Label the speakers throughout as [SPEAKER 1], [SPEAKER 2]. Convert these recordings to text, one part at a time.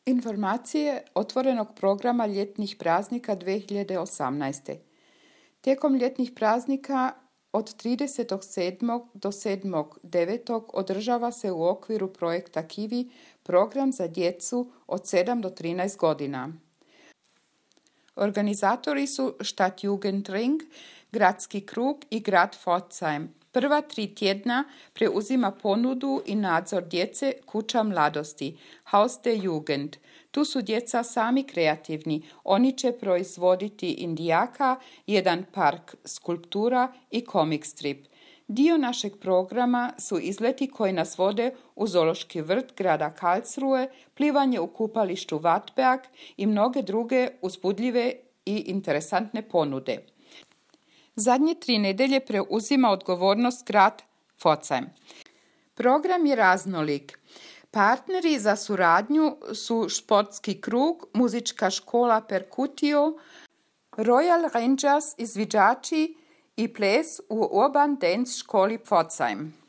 [SPEAKER 1] Informacije otvorenog programa ljetnih praznika 2018. Tijekom ljetnih praznika od 30.7. do 7.9. održava se u okviru projekta Kivi program za djecu od 7 do 13 godina. Organizatori su Stadtjugendring, Gradski krug i grad Pforzheim. Prva 3 tjedna preuzima ponudu i nadzor djece Kuća mladosti, Haus der Jugend. Tu su djeca sami kreativni. Oni će proizvoditi indijaka, jedan park skulptura i comic strip. Dio našeg programa su izleti koji nas vode u zoološki vrt grada Karlsruhe, plivanje u kupalištu Wartberg i mnoge druge uzbudljive i interesantne ponude. Zadnje 3 nedjelje preuzima odgovornost grad Pforzheim. Program je raznolik. Partneri za suradnju su Športski krug, muzička škola Percutio, Royal Rangers izviđači i ples u Urban Dance školi Pforzheim.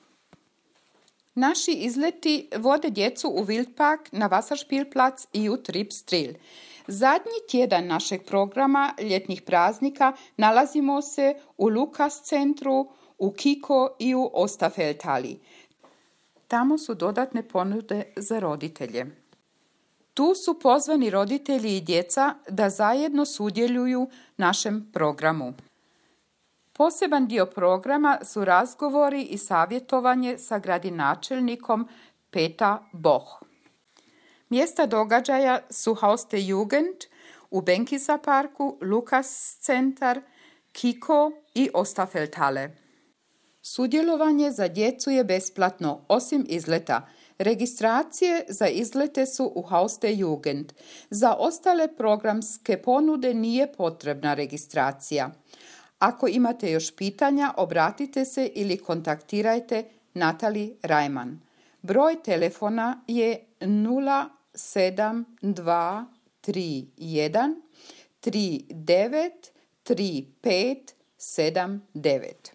[SPEAKER 1] Naši izleti vode djecu u Wildpark, na Wasserspielplatz i u Tripsdrill. Zadnji tjedan našeg programa ljetnih praznika nalazimo se u Lukas centru, u Kiko i u Osterfeldhalli. Tamo su dodatne ponude za roditelje. Tu su pozvani roditelji i djeca da zajedno sudjeluju našem programu. Poseban dio programa su razgovori i savjetovanje sa gradonačelnikom Peter Boch. Mjesta događaja su Haus der Jugend u Benkisa parku, Lukas centar, Kiko i Osterfeldhalle. Sudjelovanje za djecu je besplatno, osim izleta. Registracije za izlete su u Haus der Jugend. Za ostale programske ponude nije potrebna registracija. Ako imate još pitanja, obratite se ili kontaktirajte Natali Rajman. Broj telefona je 07231 393579.